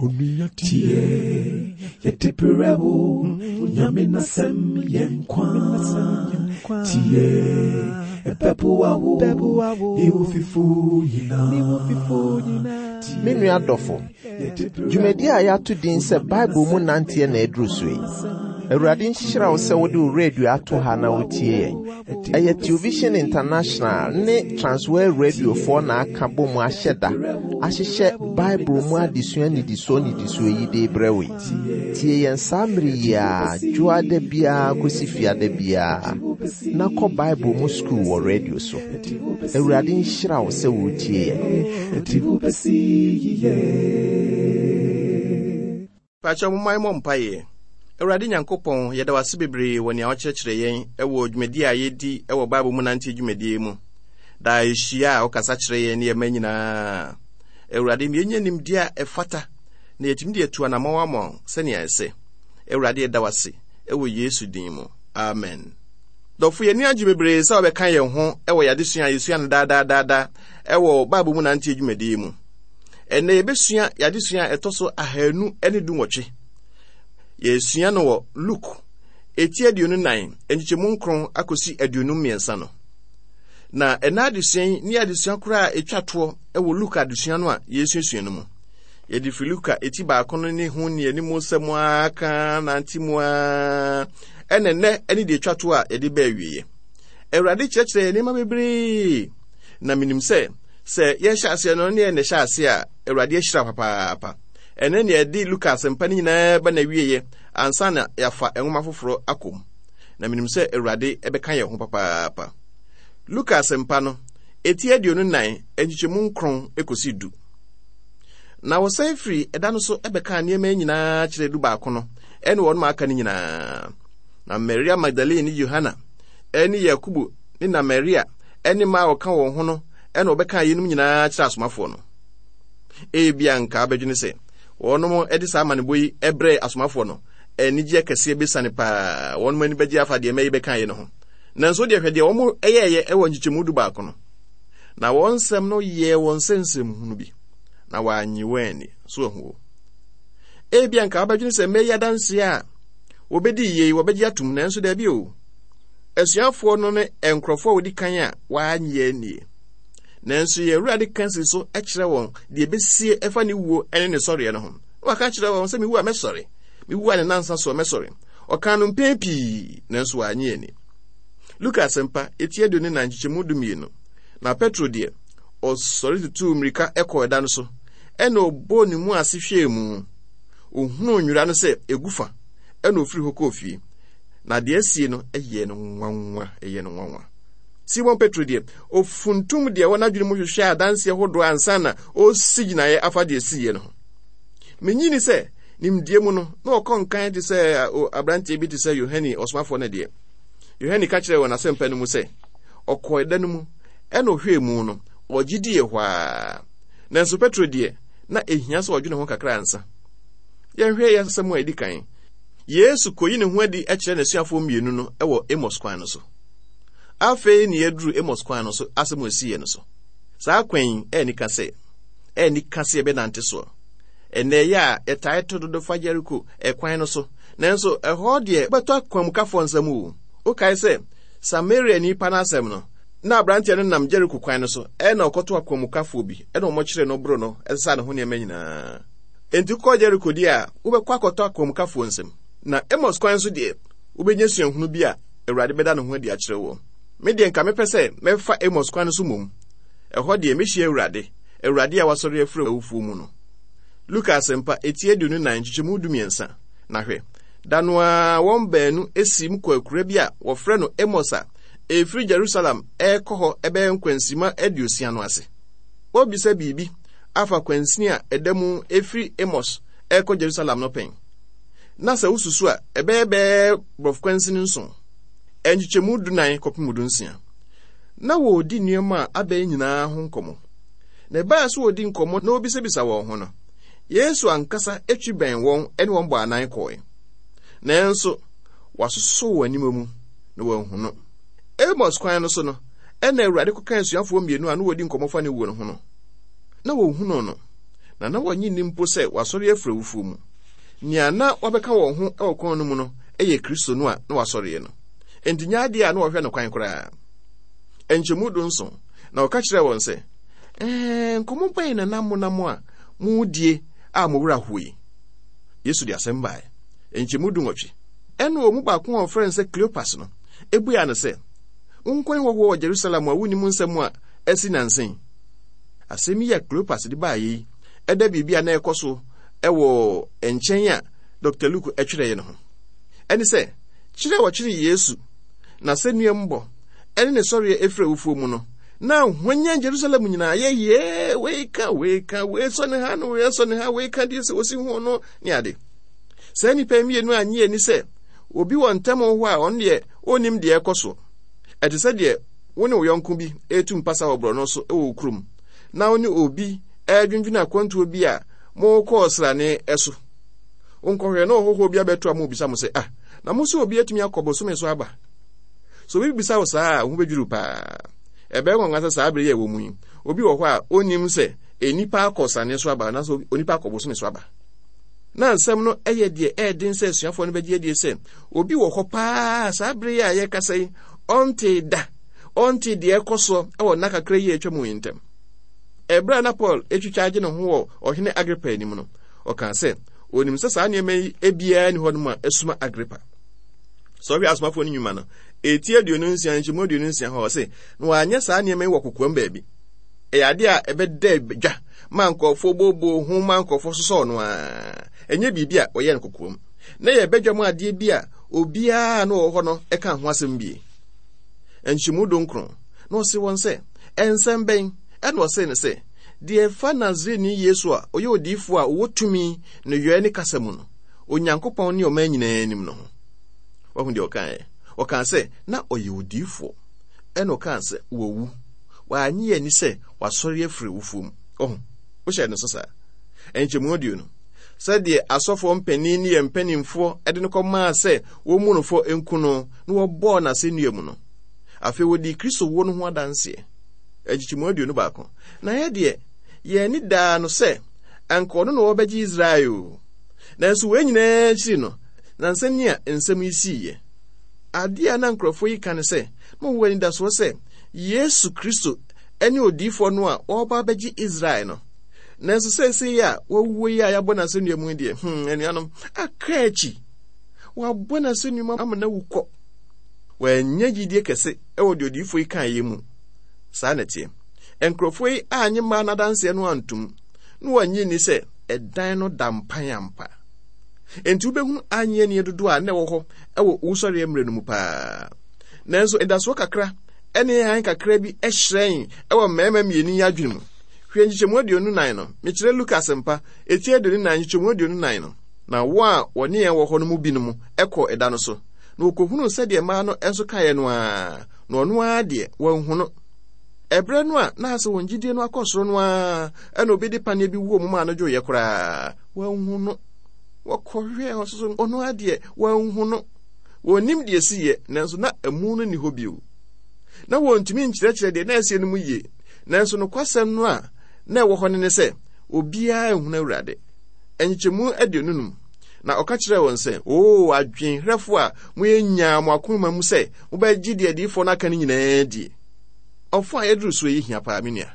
Tie, yɛde brɛ wo, Nyame n'asɛm yɛ nkwa. Tie, ɛbɛboa wo, ne wo fifo nyinaa. Me nua dɔfo, dwumadi a yɛato din sɛ Bible mu nanteɛ na aduru so yi. Awurade nhyira wo sɛ wode wo radio ato ha na wotie yɛn. Ɛyɛ Television International ne Transworld Radiofoɔ na aka bɔ mu ahyɛ da ahyehyɛ Bible mu adesua nnidisoɔ nnidisoɔ yi de rebrɛ wo yi. Tie yɛn saa mmere yi ara, dwoada biara kɔsi fiada biara, na kɔ Bible mu sukuu wɔ radio so. Awurade nhyira wo sɛ woretie yɛn. Pakyɛ momma yɛmmɔ mpaeɛ. Awurade Nyankopɔn, yɛda wo ase bebree wɔ nea wokyerɛkyerɛ yɛn wɔ dwumadi a yɛdi wɔ Bible mu nanteɛ dwumadie mu. Daa yɛhyia a wokasa kyerɛ yɛn ne yɛn mma nyinaa. Awurade, ma yɛnya nimdeɛ a ɛfata na yɛatumi de atu anammɔn ama wo sɛnea ɛsɛ. Awurade, yɛda wo ase wɔ Yesu din mu. Amen. Dɔfo, yɛn ani agye bebree sɛ wobɛka yɛn ho wɔ yɛn adesua a yɛsua no daadaadaada wɔ Bible mu nanteɛ dwumadie mu. Ɛnnɛ yɛbɛsua yɛn adesua a ɛtɔ so ahanu ne dunwɔtwe. Yɛresua no wɔ Luke eti 24 nkyekyɛmu nkron akɔsi 53 no. Na ɛna adesua yi ne adesua koraa a ɛtwa toɔ wɔ Luke adesua no a yɛresuasua no mu. Yɛde firi Luka eti baako no ne ho ne anim nsɛm ara ka nante mu ara ɛna nnɛ ɛne deɛ ɛtwa toɔ a yɛde baa awieɛ. Awurade kyerɛkyerɛ yɛn nneɛma bebree na menim sɛ Sɛ yɛhyɛ aseɛ no ne yɛn na ɛhyɛ aseɛ a, Awurade ahyira papaapa. Ɛnɛ nea ɛde Luka asɛmpa no nyinaa ba n'awieeɛ ansa na yɛafa nwoma foforɔ akɔ mu. Na menim sɛ Awurade bɛka yɛn ho papaapa. Luka asɛmpa no, eti 24, nkyekyɛmu nkron kɔsi du. Na wɔsan firi ɛda no so bɛkaa nneɛma yi nyinaa kyerɛɛ dubaako no ne wɔn a aka no nyinaa. Na Maria Magdalene ne Yohana ne Yakobo ne na Maria ne mmaa a wɔka wɔn ho no na wɔbɛkaa yeinom nyinaa kyerɛ asomafoɔ no. Ebia nka abɛdwene sɛ wɔnom de saa amanebɔ yi brɛɛ asomafoɔ no, anigyeɛ kɛseɛ bɛsiane paa, wɔnom ani bɛgye afa deɛ mmaa yi bɛkaeɛ no ho. Nanso deɛ hwɛ deɛ wɔn yɛɛyɛ wɔ nkyekyɛmu du baako no. Na wɔn nsɛm no yɛɛ wɔn sɛ nsɛmhunu bi, na wɔannye wɔn anni. So ahu o. Ebia nka wobɛdwene sɛ mmaa yi adanseɛ a wɔbɛdii yei wɔbɛgye atom, nanso daabi o. Asuafoɔ no ne nkurɔfoɔ a wɔdi kan a wɔannye annie. Nanso yɛn Awurade ka si so kyerɛ wɔn deɛ ɛbɛsie ɛfa ne wuo ne ne sɔreɛ no ho. Na waka kyerɛ wɔn sɛ mewu a mɛsɔre, mewu a ne nansa soɔ mɛsɔre. Ɔkaa no mpɛn pii, nanso wɔannye anni. Luka Asɛmpa, eti 24 nkyekyɛmu 12. Na Petro deɛ, ɔsɔre tutuu mmirika kɔɔ ɛda no so, ɛna ɔbɔɔ ne mu ase hwɛɛ mu. Ɔhunuu nwera no sɛ ɛgu fa, ɛna ɔfiri hɔ kɔɔ fie. Na deɛ asie no yɛɛ no nwanwa, ɛyɛɛ no nwanwa. Simon Petro deɛ, ɔfuntum deɛ ɛwɔ n'adwene mu hwehwɛɛ adanseɛ hodoɔ ansa na ɔresi gyinaeɛ afa deɛ ɛsiiɛ no ho. Menyi ni sɛ, nimdeɛ mu no, na ɔkɔ nkan te sɛ aberanteɛ bi te sɛ Yohane ɔsomafoɔ no deɛ. Yohane ka kyerɛɛ wɔ n'asɛmpa no mu sɛ, ɔkɔɔ ɛda no mu, ɛna ɔhwɛɛ mu no, ɔgye diiɛ hɔ ara. Nanso Petro deɛ, na ɛhia sɛ ɔdwene ho kakra ansa. Yɛnhwɛ yɛn asɛm a ɛdi kan. Yesu koyi ne ho adi kyerɛ n'asuafoɔ mmienu no wɔ Amos kwan no so. Afei ne yɛaduru Amos kwan no so asɛm a ɛsiiɛ no so. Saa kwan yi ɛyɛ nika sɛ ɛyɛ nika sɛ yɛbɛnante soɔ. Ɛnnɛ ɛyɛ a yɛtae to dodo fa Jeriko ɛkwan no so, nanso ɛhɔ deɛ wobɛtɔ akwanmukafoɔ nsam o. Wokae sɛ Samariani pa no asɛm no, na aberanteɛ no nam Jeriko kwan no so ɛna ɔkɔto akwanmukafoɔ bi ɛna wɔkyeree no boro no ɛsesaa ne ho nneɛma nyinaa. Enti wokɔ Jeriko deɛ a, wobɛkɔ akɔtɔ akwanmukafoɔ nsam. Na Amos kwan so deɛ, wobɛnya suahunu bi a Awurade bɛda ne ho adi akyerɛ woɔ. Me deɛ nka mepɛ sɛ mɛfa Amos kwan no so mmom. Ɛhɔ deɛ mɛhyia Awurade, Awurade a wasɔre afiri awufoɔ mu no. Luka Asɛmpa, eti 24, nkyekyɛmu 13. Na hwɛ, da no ara wɔn baanu siim kɔɔ akuraa bi a wɔfrɛ no Amos a ɛfiri Jerusalem rekɔ hɔ bɛyɛ nkwansima 60 no ase. Wɔrebisa biribi afa kwansini a ɛda mu firi Amos rekɔ Jerusalem no pɛn. Na sɛ wosusu a, ɛbɛyɛ bɛyɛ borɔfo kwansini nson, nkyekyɛmu dunan kɔpem dunsia. Na wɔredi nneɛma a abɛn nyinaa ho nkɔmmɔ. Na ɛbaa sɛ wɔredi nkɔmmɔ na wɔbisabisa wɔn ho no, Yesu ankasa twi bɛn wɔn ne wɔn bɔɔ anan kɔe. Nanso, wɔasosɔ wɔn aniwa mu na wɔanhu no. Amos kwan no so no, ɛna Awurade kɔkaa asuafoɔ mmienu a na wɔredi nkɔmmɔ fa ne wuo no ho no. Na wɔhunuu no. Na na wɔnnye nni mpo sɛ wasɔre afiri awufoɔ mu. Nea na wabɛka wɔn ho wɔ kwan no mu no yɛ Kristo no a na wasɔreɛ no. Enti nyɛ adeɛ a na wɔhwɛ no kwan koraa. Nkyɛmu 17, Na ɔka kyerɛɛ wɔn sɛ, Ɛɛ, nkɔmmɔ bɛn na na monam a moredie a mo werɛ ahoɔ yi? Yesu de asɛm baeɛ. Nkyɛmu 18, Ɛnna wɔn mu baako a wɔfrɛ no sɛ Kleopas no buaa no sɛ, Wo nko ne hɔhoɔ wɔ Jerusalem a wonnim nsɛm a asi nnansa yi? Asɛm yi a Kleopas de baeɛ yi da biribi a na ɛrekɔ so wɔ nkyɛn a Dɔkta Luke twerɛeɛ no ho. Ɛne sɛ, kyerɛ a wɔkyeree Yesu, n'asɛnnuambɔ, ne ne sɔreɛ ɛfiri awufoɔ mu no, na hwanyan Jerusalem nyinaa yɛ yee, wei ka, wei ka, wei sɔ ne ha, no wei sɔ ne ha, wei ka deɛ sɛ wɔsi ho no, ne ade. Saa nnipa mmienu annye ani sɛ obi wɔ ntam hɔ a ɔno deɛ ɔnnim deɛ ɛrekɔ so. Ɛte sɛ deɛ wo ne wo yɔnko bi retu mpasa wɔ borɔno so wɔ wo kurom, na wo ne obi redwendwene akwantuo bi a morekɔ ɔsrane so. Wonkɔhwɛ na ɔhɔhoɔ bi abɛto a mobisa mo sɛ, ah, na mo sɛ obi atumi akɔ bosome so aba? So obi bisa wo saa a, wo ho bɛdwiriw paa. Ɛbɛyɛ nwanwa sɛ saa bere yi a ɛwɔ mu yi, obi wɔ hɔ a onnim sɛ nnipa akɔ ɔsrane so aba anaasɛ onipa akɔ bosome so aba. Na nsɛm no yɛ deɛ ɛyɛ den sɛ asuafoɔ no bɛgye adie sɛ obi wɔ hɔ paa saa bere yi a yɛrekasa yi, ɔntee da, ɔntee deɛ ɛkɔ soɔ wɔ nna kakra yi a atwa mu yi ntam. Ɛberɛ a na Paul retwitwa agye ne ho wɔ ɔhene Agripa anim no, ɔkaa sɛ onim sɛ saa nneɛma yi biara nni hɔnom a asuma Agripa. Sɛ ɔhwɛ asomafoɔ no nnwuma no, ɛti 26 nkyɛmu 26 hɔ ɔse, na wɔanyɛ saa nneɛma yi wɔ kokoam baabi. Ɛyɛ adeɛ a ɛbɛda dwa ma nkurɔfoɔ booboo ho ma nkurɔfoɔ sosɔɔ no ara. Ɛnyɛ biribi a wɔyɛ no kokoam. Na ɛyɛ badwam adeɛ bi a obiara a na ɔwɔ hɔ no ka ho asɛm bie. Nkyɛmu 19, na ɔse wɔn sɛ, Nsɛm bɛn? Ɛna ɔsee no sɛ, Deɛ ɛfa Nasareni Yesu a ɔyɛ odiyifoɔ a ɔwɔ tumi nneyɔɛ ne kasa mu no, Onyankopɔn ne ɔman nyinaa anim no ho. Wahu deɛ ɔkaeɛ? Ɔkaa sɛ na ɔyɛ odiyifoɔ. Ɛna ɔkaa sɛ wawu. Wannye anni sɛ wasɔre afiri awufoɔ mu. Wahu? Wohyɛɛ no so saa? Nkyɛmu 20. Sɛdeɛ asɔfoɔ mpanin ne yɛn mpanimfoɔ de no kɔmaa sɛ wɔmmu no fɔ nku no, na wɔbɔɔ no asɛnnua mu no. Afei wɔdii Kristo wuo no ho adanseɛ. Nkyekyɛmu 21. Na yɛ deɛ, yɛn ani daa no sɛ anka ɔno na ɔrebɛgye Israel o. Nanso wei nyinaa akyiri no, nansa ni a nsɛm yi siiɛ. Adeɛ a na nkurɔfoɔ yi ka ne sɛ, na wɔwɔ anidasoɔ sɛ Yesu Kristo ne odiyifoɔ no a ɔreba abɛgye Israel no. Nanso seesei a wawuo yi a yɛabɔ no asɛnnua mu yi deɛ, anuanom, aka akyi. Wɔabɔ no asɛnnua mu ama no awu kɔ. Wɔannya gyidie kɛse wɔ deɛ odiyifoɔ yi kaeɛ mu. Saa na ɛteɛ. Nkurɔfoɔ yi annye mmaa no adanseɛ no antom, na wɔannye nni sɛ ɛdan no da mpan ampa. Enti wobɛhunu annye annie dodoɔ a na ɛwɔ hɔ wɔ owusɔreɛ mmerɛ no mu paa. Nanso anidasoɔ kakra ne hann kakra bi hyerɛn wɔ mmarima mmienu yi adwene mu. Hwɛ nkyekyɛmu 24 no. Mekyerɛ Luka Asɛmpa, eti 24, nkyekyɛmu 24 no. Na wɔn a wɔne yɛn wɔ hɔ no mu binom kɔɔ ɛda no so, na wɔkɔhunuu sɛdeɛ mmaa no nso kaeɛ no ara, na ɔno ara deɛ, wɔanhu no. Ɛberɛ no a na asɛ wɔn gyidie no akɔ soro no ara na obi de paneɛ bi woo mu maa no dwoeɛ koraa, wɔanhu no. Wɔkɔhwɛɛ hɔ so, ɔno ara deɛ, wɔanhu no. Wɔnnim deɛ ɛsiiɛ, nanso na amu no nni hɔ bio. Na wɔntumi nkyerɛkyerɛ deɛ na asie no mu yie, nanso nokwasɛm no a na ɛwɔ hɔ no ne sɛ, obiara nhunu Awurade. Nkyekyɛmu 25, Na ɔka kyerɛɛ wɔn sɛ, O adwenherɛfoɔ a moyɛ nyaa mo akoma mu sɛ mobɛgye deɛ adiyifoɔ no aka no nyinaa adie. Ɔfã a yɛduru soɔ yi hia paa, me nua.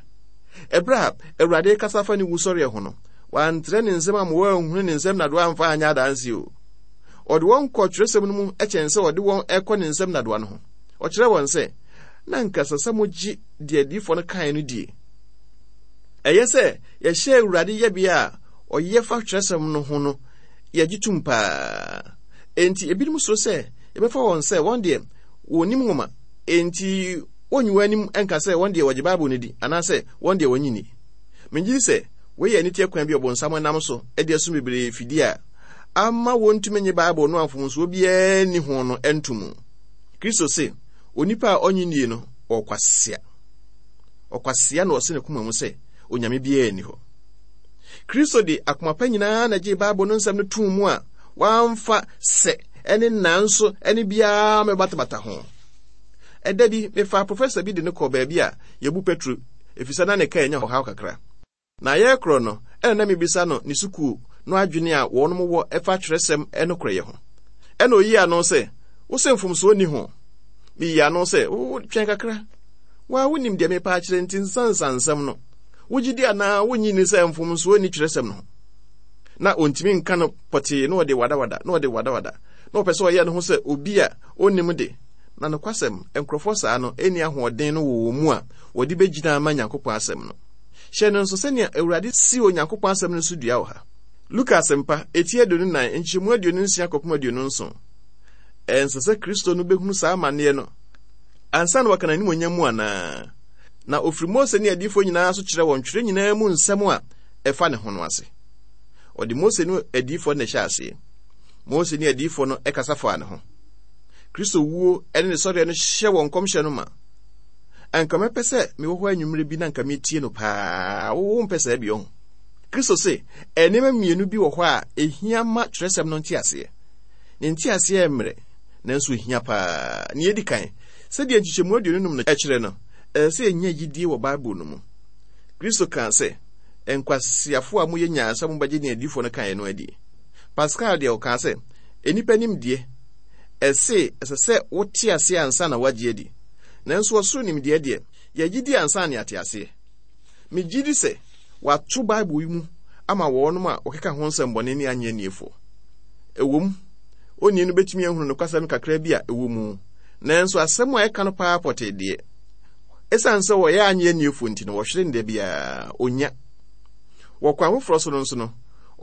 Ɛberɛ a Awurade rekasa fa ne wusɔreɛ ho no, wantrɛ ne nsam amma wɔanhunu ne nsam nnadewa amfa anyɛ adanseɛ o. Ɔde wɔn kɔɔ twerɛsɛm no mu kyɛn sɛ ɔde wɔn rekɔ ne nsam nnadewa no ho. Ɔkyerɛɛ wɔn sɛ, Na anka ɛsɛ sɛ mogye deɛ adiyifoɔ no kaeɛ no die. Ɛyɛ sɛ yɛhyɛ Awurade yɛbea a ɔyɛ fa twerɛsɛm no ho no, yɛgye tom paa. Enti ebinom suro sɛ yɛbɛfa wɔn sɛ wɔn deɛ wɔnnim nwoma, enti wɔnyi wɔn anim nka sɛ wɔn deɛ wɔgye Bible no di anaasɛ wɔn deɛ wɔnnye nni. Megye di sɛ wei yɛ aniteɛ kwan bi a Ɔbonsam nam so de asum bebree fidie a ama wɔntumi nnye Bible no a mfomsoɔ biara nni ho no nto mu. Kristo se, Onipa a ɔnnye nnie no, ɔkwasea. Ɔkwasea na ɔse ne koma mu sɛ, Onyame biara nni hɔ. Kristo de akoma pa nyinaa na gyee Bible no nsɛm no too mu a wamfa sɛ ne nanso ne biara mɛbatabata ho. Ɛda bi, mefaa professor bi de no kɔɔ baabi a yɛbu petro efisɛ na ne kaa anya ɔhaw kakra. Na yɛrekorɔ no, ɛna na mebisa no ne sukuu no adwene a wɔnom wɔ ɛfa twerɛsɛm nokorɛyɛ ho. Ɛna ɔyii ano sɛ, Wo se mfomsoɔ nni ho? Meyii ano sɛ, Wo, twɛn kakra. Wo ara wonim deɛ merepa akyerɛ nti nsansa nsɛm no. Wogye di anaa wonnye nni sɛ mfomsoɔ nni twerɛsɛm no ho? Na ɔntumi nka no pɔtee na ɔde wadawada na ɔde wadawada na ɔpɛ sɛ ɔyɛ ne ho sɛ obi a ɔnnim de. Na nokwasɛm, nkurɔfoɔ saa no nni ahoɔden no wɔ wɔn mu a wɔde bɛgyina ama Nyankopɔn asɛm no. Hyɛ no nso sɛnea Awurade si Onyankopɔn asɛm no so dua wɔ ha. Luka Asɛmpa, eti 24, nkyɛmu 26 kɔpem 27. Ɛnsɛ sɛ Kristo no bɛhunu saa amanneɛ no ansa na waka n'animuonyam mu anaa? Na ɔfiri Mose ne adiyifoɔ nyinaa so kyerɛ wɔn twerɛ nyinaa mu nsɛm a ɛfa ne ho no ase. Ɔde Mose ne adiyifoɔ no na ɛhyɛ aseɛ. Mose ne adiyifoɔ no kasa faa ne ho. Kristo wuo ne ne sɔreɛ no hyɛ wɔn nkɔmhyɛ no ma. Anka mɛpɛ sɛ mewɔ hɔ anwummerɛ bi na anka metie no paa. Wo wompɛ saa bi ɔho? Kristo se, nneɛma mmienu bi wɔ hɔ a ɛhia ma twerɛsɛm no nteaseɛ. Ne nteaseɛ yɛ mmerɛ, nanso ɛhia paa. Nea ɛdi kan, sɛdeɛ nkyekyɛmu 25 no kyerɛ no, ɛsɛ sɛ yɛnya gyidie wɔ Bible no mu. Kristo kaa sɛ, Nkwaseafoɔ a moyɛ nyaa sɛ mobɛgye nea adiyifoɔ no kaeɛ no adie. Pascal deɛ ɔkaa sɛ, Nnipa nimdeɛ, ɛse ɛsɛ sɛ wote aseɛ ansa na woagye adi. Nanso ɔsoro nimdeɛ deɛ, yɛgye di ansa na yɛate aseɛ. Megye di sɛ wɔato Bible yi mu ama wɔnom a wɔkeka ho nsɛmmɔne ne annye anniefoɔ. Ɛwom, onii no bɛtumi ahunu nokwasɛm kakra bi a ɛwɔ mu, nanso asɛm a ɛka no paa pɔtee deɛ, ɛsiane sɛ wɔyɛ annye anniefoɔ nti no, wɔhwere no da biara, ɔnnya. Wɔ kwan foforɔ so no nso no,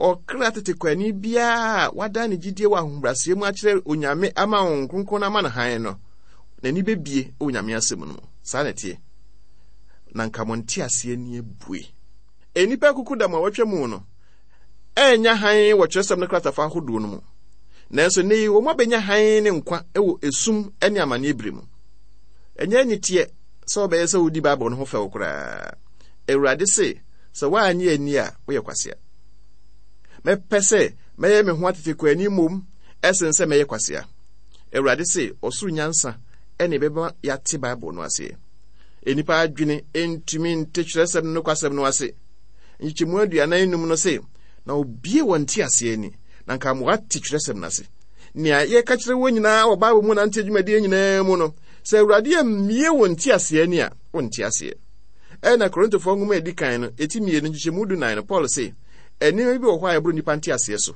ɔkra tetekwani biara a wadan ne gyidie wɔ ahobrɛaseɛ mu akyerɛ Onyame ama Honhom Kronkron no ama no hann no, n'ani bɛbie wɔ Nyame asɛm no mu. Saa na ɛteɛ. Na nka mo nteaseɛ ani abue. Nnipa akukudam a wɔatwa mu no annya hann wɔ kyerɛwsɛm no kratafa ahodoɔ no mu. Nanso nnɛ yi wɔn abɛnya hann ne nkwa wɔ esum ne amanneɛ bere mu. Ɛnyɛ aniteɛ sɛ wobɛyɛ sɛ wodi Bible no ho fɛw koraa. Awurade se, sɛ woannye anni a, woyɛ kwasea. Mɛpɛ sɛ mɛyɛ me ho atetekwani mmom ɛsen sɛ mɛyɛ kwasea. Awurade se, ɔsoro nyansa ɛne ɛbɛma yɛate Bible no aseɛ. Nnipa adwene ntumi nte kyerɛsɛm no nokwasɛm no ase. Nkyekyɛmu 45 no se, Na obie wɔn nteaseɛ ani, na anka ama wɔate twerɛsɛm no ase. Nea yɛka kyerɛ wɔn nyinaa wɔ Bible mu nante adwumadie nyinaa mu no, sɛ Awurade ammie wɔn nteaseɛ ani a, wonte aseɛ. Ɛna Korintofoɔ nwoma a ɛdi kan no, ɛti 2 nkyekyɛmu 14 no, Paul se, nneɛma bi wɔ hɔ a ɛboro nnipa nteaseɛ so.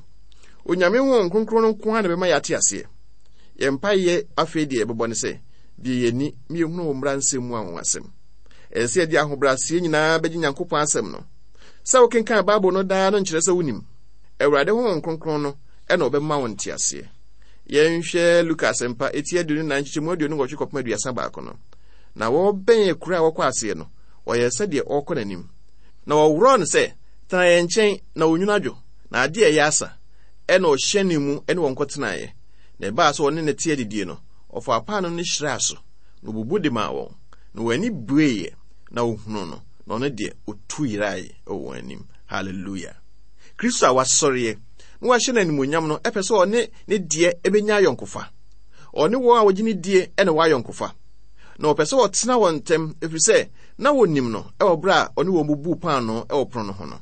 Onyame Honhom Kronkron no nko ara na ɛbɛma yɛate aseɛ. Yɛn mpaeɛ afei deɛ yɛbɛbɔ ne sɛ, bue yɛn ani ma yɛhunu wo mmara nsɛm mu anwanwasɛm. Ɛsɛ sɛ yɛde ahobrɛaseɛ nyinaa bɛgye Nyankopɔn asɛm no. Sɛ wokenkan Bible no daa no nkyerɛ sɛ wonim. Awurade Honhom Kronkron no na ɔbɛma wo nteaseɛ. Yɛnhwɛ Luka Asɛmpa, eti 24, nkyekyɛmu 28 kɔpem 31 no. Na wɔrebɛn akura a wɔkɔ aseɛ no, ɔyɛɛ sɛdeɛ ɔrekɔ n'anim. Na wɔworɔɔ no sɛ, Tena yɛn nkyɛn, na onwunu adwo, na adeɛ reyɛ asa. Ɛnna ɔhyɛnee mu ne wɔn kɔtenaeɛ. Na ɛbaa sɛ ɔne no te adidie no, ɔfaa paanoo no hyiraa so, na ɔbubu de maa wɔn. Na wɔn ani bueeɛ, na wɔhunuu no, na ɔno deɛ, ɔtu yeraeɛ wɔ wɔn anim. Hallelujah! Kristo a wasɔreɛ na wɔahyɛ no animuonyam no pɛ sɛ ɔne ne deɛ bɛnya ayɔnkofa. Ɔne wɔn a wɔgye no die na ɛwɔ ayɔnkofa. Na ɔpɛ sɛ ɔtena wɔn ntam, ɛfiri sɛ na wɔnim no wɔ berɛ a ɔne wɔn bubuu paanoo wɔ pono no ho no.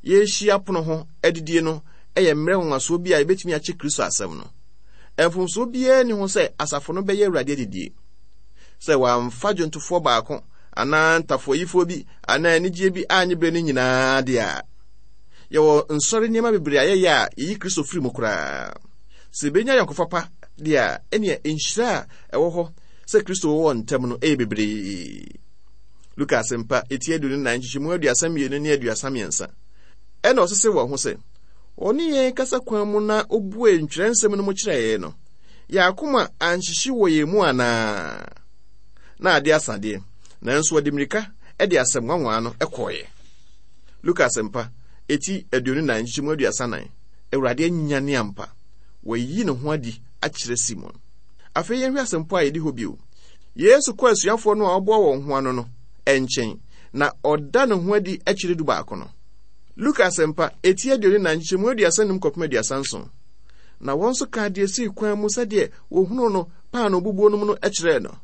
Yɛrehyia pono ho adidie no yɛ mmerɛ nwanwasoɔ bi a yɛbɛtumi akyɛ Kristo asɛm no. Mfomsoɔ biara nni ho sɛ asafo no bɛyɛ Awurade adidie. Sɛ wɔamfa dwontofoɔ baako anaa ntafoayifoɔ bi anaa anigyeɛ bi annye berɛ no nyinaa deɛ a, yɛwɔ nsɔre nneɛma bebree a yɛyɛ a yɛyi Kristo firi mu koraa. Sɛ yɛbɛnya ayɔnkofa pa deɛ a, ɛnneɛ nhyira a ɛwɔ hɔ sɛ Kristo wɔ wɔn ntam no yɛ bebree. Luka Asɛmpa, eti 24, nkyekyɛmu 32 ne 33. Ɛnna ɔsese wɔn ho sɛ, Ɔne yɛn kasa kwan mu na obuee ntwerɛnsɛm no mu kyerɛɛ yɛn no, yɛn akoma anhyehye wɔ yɛn mu anaa? Na ade asa deɛ, nanso wɔde mmirika de asɛm nwanwaa no kɔeɛ. Luka Asɛmpa, eti 24, nkyekyɛmu 34. Awurade anyane ampa. Wayi ne ho adi akyerɛ Simon. Afei yɛnhwɛ asɛmpɔ a yɛdi hɔ bio. Yesu kɔ asuafoɔ no a ɔboa wɔn ho ano no nkyɛn, na ɔda ne ho adi kyerɛ dubaako no. Luka Asɛmpa, eti 24, nkyekyɛmu 35 kɔpem 37. Na wɔn nso kaa deɛ esii kwan mu sɛdeɛ wɔhunuu no paanoo bubuo no mu no kyerɛɛ no.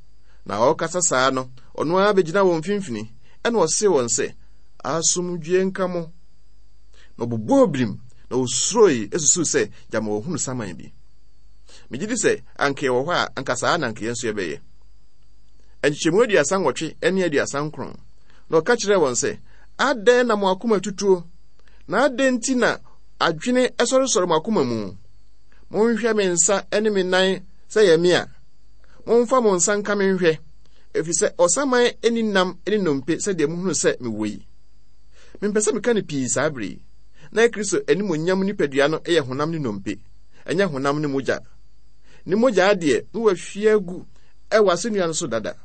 Na ɔrekasa saa no, ɔno ara bɛgyinaa wɔn mfimfini, ɛnna ɔsee wɔn sɛ, Asomdwoe nka mo. Na ɔbobɔɔ birim, na osuroe susuw sɛ gyama wahunu saman bi. Megye di sɛ anka yɛwɔ hɔ a, anka saa na anka yɛn nso yɛbɛyɛ. Nkyekyɛmu 38 ne 39. Na ɔka kyerɛɛ wɔn sɛ, Adɛn na mo akoma tutuo? Na adɛn nti na adwene sɔresɔre mo akoma mu? Monhwɛ me nsa ne me nan sɛ ɛyɛ me a. Momfa mo nsa nka me nhwɛ, ɛfiri sɛ ɔsaman nni nam ne nnompe sɛdeɛ mohunu sɛ mewɔ yi. Mempɛ sɛ meka no pii saa bere yi. Na Kristo animuonyam nipadua no yɛ honam ne nnompe, ɛnyɛ honam ne mogya. Ne mogya deɛ, na wahwie agu wɔ asɛnnua no so dada.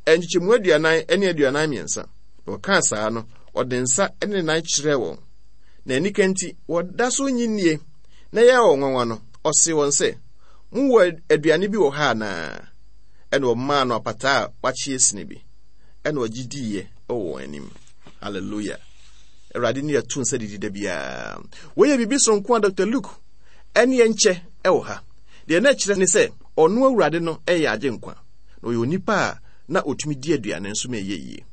Nkyekyɛmu 40 ne 43. Na ɔkaa saa no, ɔde nsa ne ne nan kyerɛɛ wɔn. Na anika nti, wɔda so nnye nnie, na ɛyɛɛ wɔn nwanwa no, ɔsee wɔn sɛ, Mowɔ aduane bi wɔ ha anaa? Ɛnna wɔmaa no apataa a wakye asini bi, ɛnna ɔgye diiɛ wɔ wɔn anim. Hallelujah. Awurade ne yɛto nsa didi da biara. Wei yɛ biribi soronko a Dr. Luke ɛne yɛn kyɛ wɔ ha. Deɛ na ɛkyerɛ ne sɛ ɔno Awurade no yɛ agyenkwa, na ɔyɛ onipa a na ɔtumi di aduane nso ma ɛyɛ yie.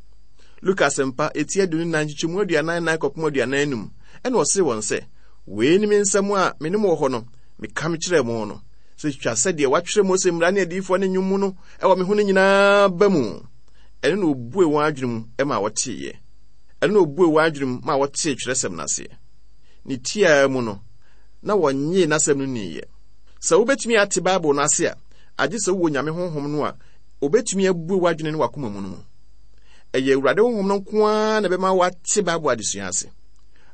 Luka Asɛmpa, eti 24 nkyekyɛmu 44 kɔpem 45, ɛna ɔsee wɔn sɛ, Wei ne me nsɛm a me ne mo wɔ hɔ no, meka mekyerɛɛ mo no, sɛ twa sɛ deɛ wɔatwerɛ Mose mmara ne adiyifoɔ ne nnwom mu no wɔ me ho no nyinaa ba mu. Ɛno na ɔbue wɔn adwene mu ma wɔteeɛ. Ɛno na ɔbue wɔn adwene mu ma wɔtee twerɛsɛm no aseɛ. Ne tiaa mu no, na wɔnnyee n'asɛm no nniiɛ. Sɛ wobɛtumi ate Bible no ase a, agye sɛ wowɔ Nyame Honhom no a obetumi abue w'adwene ne w'akoma mu no mu. Ɛyɛ Awurade Honhom no nko ara na ɛbɛma woate Bible adesua ase.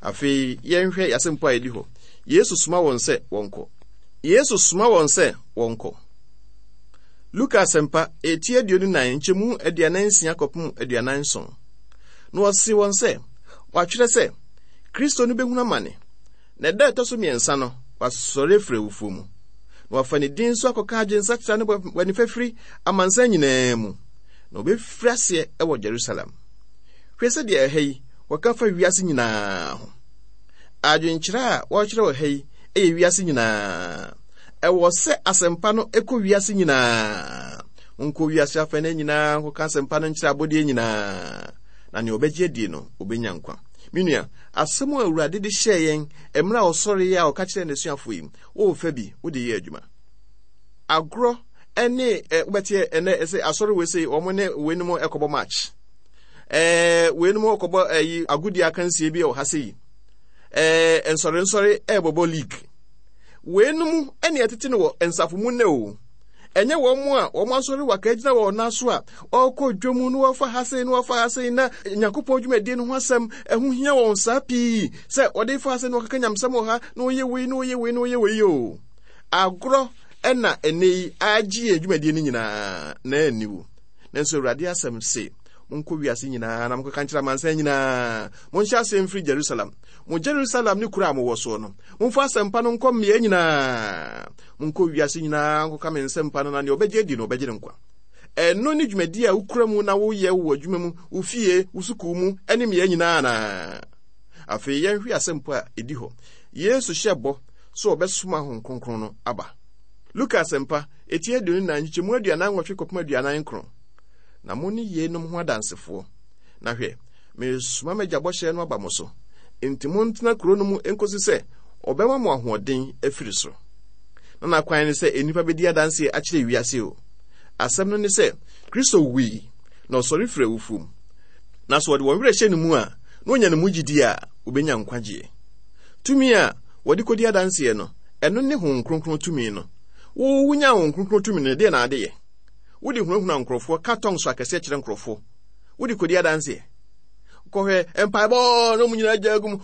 Afei yɛnhwɛ yɛasɛmpo a ɛdi hɔ. Yesu soma wɔn sɛ wɔnkɔ. Yesu soma wɔn sɛ wɔnkɔ. Luka Asɛmpa, eti 24, nkyɛmu 46 kɔpem 47. Na ɔse wɔn sɛ, wɔatwerɛ sɛ, Kristo no bɛhunu amane, na ɛda a ɛtɔ so mmiɛnsa no, wasɔre afiri awufoɔ mu, na wafa ne din so akɔka adwensakyera ne bɔne fafiri amansan nyinaa mu, na wɔbɛfiri aseɛ wɔ Jerusalem. Hwɛ sɛdeɛ ɛha yi wɔka fa wiase nyinaa ho. Adwenkyerɛ a wɔrekyerɛ wɔ ha yi yɛ wiase nyinaa. Ɛwɔ sɛ asɛmpa no kɔ wiase nyinaa. Monkɔ wiase afɛnɛ nyinaa nkɔka asɛmpa no nkyerɛ abɔdeɛ nyinaa, na nea ɔbɛgye adie no, ɔbɛnya nkwa. Me nua, asɛm a Awurade de hyɛɛ yɛn mmerɛ a ɔsɔreeɛ a ɔka kyerɛɛ n'asuafoɔ yi, worefa bi wode yɛ adwuma. Agorɔ ne wobɛteɛ ɛnɛ ɛsɛ asɔre wei sei wɔn ne weinom ɛkɔbɔ match. Ɛɛ weinom ɛkɔbɔ ɛyi agodie akansie bi wɔ ha sei. Ɛɛ nsɔre nsɔre ɛrebɔbɔ league. Weinom ɛne ɛtete no wɔ nsafo mu nnɛ o. Ɛnyɛ wɔn a wɔn asɔre waka agyina wɔn nan so a wɔkɔ dwom na wɔfa ha sei na wɔfa ha sei na Nyankopɔn dwumadie no ho asɛm ɛho hia wɔn saa pii sɛ wɔde fa ha sei na wɔkeka nyamsɛm wɔ ha na wɔyɛ wei na wɔyɛ wei na wɔyɛ wei o. Agorɔ ɛna ɛnɛ yi agye yɛn dwumadie no nyinaa na aniwu. Nanso Awurade asɛm se, monkɔ wiase nyinaa na monkɔka nkyerɛ amansan nyinaa. Monhyɛ aseɛ mfiri Jerusalem. Mo Jerusalem ne kuro a mowɔ soɔ no, momfa asɛmpa no nkɔ mmea nyinaa. Monkɔ wiase nyinaa nkɔka me nsɛmpa no na nea ɔbɛgye adi no, ɔbɛgye no nkwa. Ɛno ne dwumadi a wokura mu na woyɛ wɔ adwuma mu, wo fie, wo sukuu mu, ne mmea nyinaa anaa? Afei yɛnhwɛ asɛmpa a ɛdi hɔ. Yesu hyɛ bɔ sɛ ɔbɛsoma Honhom Kronkron no aba. Luka Asɛmpa, eti 24, nkyekyɛmu 48 kɔpem 49. Na mo ne yeinom ho adansefoɔ. Na hwɛ, meresoma m'agya bɔhyɛ no aba mo so. Enti montena kuro no mu nkosi sɛ ɔbɛma mo ahoɔden afiri soro. Na n'akwan ne sɛ nnipa bɛdi adanseɛ akyerɛ wiase o. Asɛm no ne sɛ, Kristo wui, na ɔsɔre firi awufoɔ mu. Na sɛ wɔde wɔn werɛ hyɛ ne mu a, na wɔnya ne mu gyidie a, wɔbɛnya nkwagyeɛ. Tumi a wɔde kɔdi adanseɛ no, ɛno ne Honhom Kronkron tumi no. Wo, wonya Honhom Kronkron tumi no, ɛdeɛn na ade yɛ? Wode hunahuna nkurɔfoɔ, ka tɔnso akɛseɛ kyerɛ nkurɔfoɔ. Wode kɔdi adanseɛ. Kɔhwɛ mpaebɔ na wɔn nyinaa gya agu mu.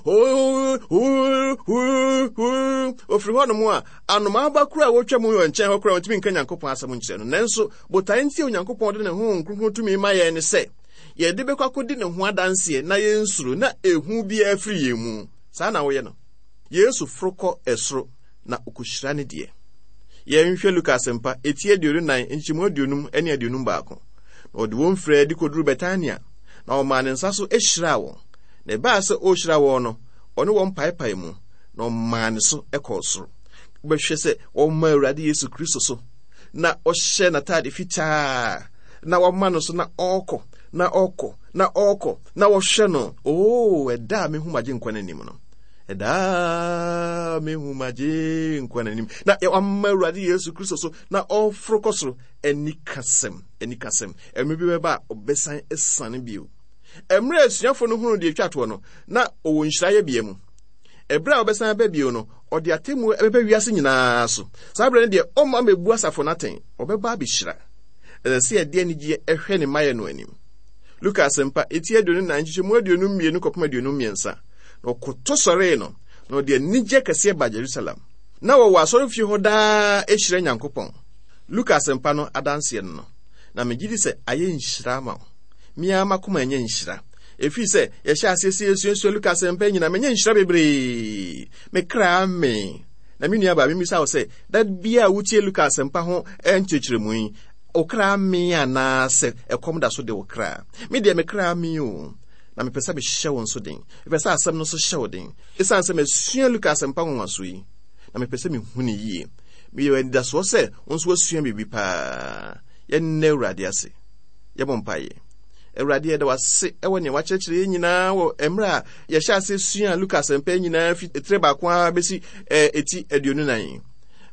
Ofiri hɔnom a, anomaa ba koro a wɔtwa mu wɔ nkyɛn hɔ koraa wɔntumi nka Nyankopɔn asɛm nkyerɛ no. Nanso, botae nti a Onyankopɔn de ne Honhom Kronkron tumi ma yɛn ne sɛ, yɛde bɛkɔ akɔdi ne ho adanseɛ na yɛnsuro na ehu biara firi yɛn mu. Saa na woyɛ no. Yesu foro kɔ ɛsoro na ɔkɔhyira ne deɛ. Yɛnhwɛ Luka Asɛmpa, eti 24, nkyɛmu 50 ne 51. Na ɔde wɔn firii adi kɔduruu Betania, na ɔmaa ne nsa so hyiraa wɔn. Na ɛbaa sɛ ɔrehyira wɔn no, ɔne wɔn paepae mu, na ɔmaa ne so kɔɔ soro. Wobɛhwɛ sɛ wɔma Awurade Yesu Kristo so, na ɔhyɛ n'atade fitaa, na wɔama no so na ɔrekɔ. na ɔkɔ, na ɔkɔ, na wɔhwɛ no. Oo, ɛda a mehu m'Agyenkwa no anim no. Ɛda a mehu m'Agyenkwa no anim. Na wama Awurade Yesu Kristo so, na ɔforo kɔ soro. Anikasɛm, anikasɛm. Ɛmere bi bɛba a ɔbɛsan asiane bio. Mmerɛ a asuafoɔ no hunuu deɛ ɛtwa toɔ no, na ɔwɔ nhyira yɛbea mu. Ɛberɛ a ɔbɛsan aba bio no, ɔde atemmuo bɛba wiase nyinaa so. Saa berɛ no deɛ, ɔmma mmɛbu asafo no atɛn, ɔbɛba abɛhyira. Ɛsɛ sɛ yɛde anigyeɛ hwɛ ne mmaeɛ no anim. Luka Asɛmpa, eti 24, nkyekyɛmu 52 kɔpem 53. Na ɔkoto sɔree no, na ɔde anigyeɛ kɛseɛ baa Jerusalem. Na wɔwɔ asɔrefie hɔ daa hyira Nyankopɔn. Luka Asɛmpa no adanseɛ no no. Na megye di sɛ ayɛ nhyira ama wo. Me ara m'akoma anya nhyira. Ɛfiri sɛ yɛhyɛ aseɛ sɛ yɛsuasua Luka Asɛmpa nyinaa, manya nhyira bebree. Me kra amee. Na me nuabaa, memmisa wo sɛ, da biara a wotie Luka Asɛmpa ho nkyerɛkyerɛmu yi, wo kra amee anaasɛ ɛkɔm da so de wo kra? Me deɛ, me kra amee o. Na mepɛ sɛ mehyɛ wo nso den. Mepɛ sɛ asɛm no nso hyɛ wo den. Esiane sɛ masua Luka Asɛmpa nwanwaso yi, na mepɛ sɛ mehu no yie. Meyɛ anidasoɔ sɛ wo nso woasua biribi paa. Yɛnnɛ Awurade ase. Yɛbɔ mpaeɛ. Awurade, yɛda wo ase wɔ nea wakyerɛkyerɛ yɛn nyinaa wɔ mmerɛ a yɛhyɛ ase sua Luka Asɛmpa yi nyinaa fi etire baako ara bɛsi eti 24 yi.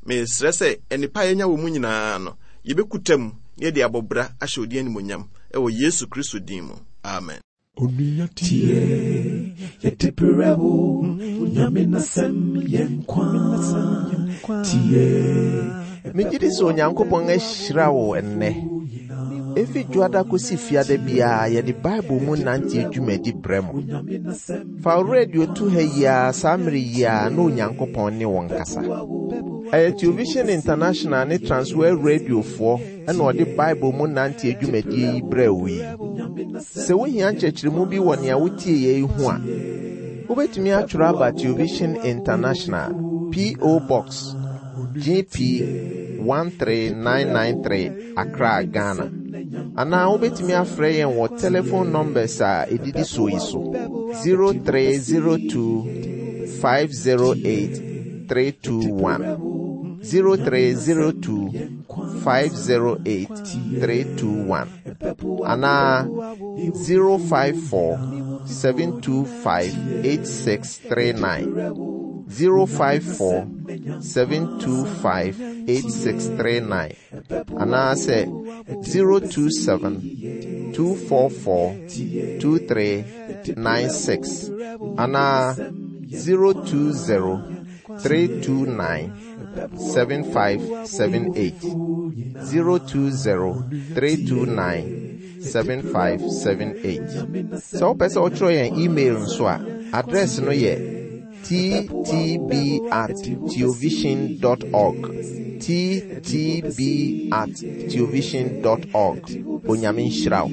Mesrɛ sɛ nnepa a yɛanya wɔ mu nyinaa no, yɛbɛkuta mu na yɛde abɔ bra ahyɛ wo din animuonyam wɔ Yesu Kristo din mu. Amen. Onua tie, yɛde brɛ wo, Onyame n'asɛm yɛ nkwa. Tie. Megye di sɛ Onyankopɔn ahyira wo ɛnnɛ. Efi Dwoada kosi Fiada biara yɛde Bible mu nanteɛ dwumadi brɛ mo. Fa wo radio to ha yi ara saa mmere yi ara na Onyankopɔn ne wo nkasa. Ɛyɛ Television International ne Transworld Radiofoɔ na ɔde Bible mu nanteɛ dwumadie yi brɛɛ wo yi. Sɛ wohia nkyerɛkyerɛmu bi wɔ nea wotieeɛ yi ho a, wobɛtumi atwerɛ aba Television International, P.O. Box, GP 13993, Accra, Ghana. Anaa wobɛtumi afrɛ yɛn wɔ telephone numbers a ɛdidi soɔ yi so, 0302 508 321, 0302 508 321, anaa 054 725 8639, 054 725 8639, anaasɛ 027 244 2396, anaa 020 329 7578, 020 329 7578. Sɛ wopɛ sɛ wotwerɛ yɛn email nso a, address no yɛ ttb@teovision.org, ttb@teovision.org. Onyame nhyira wo.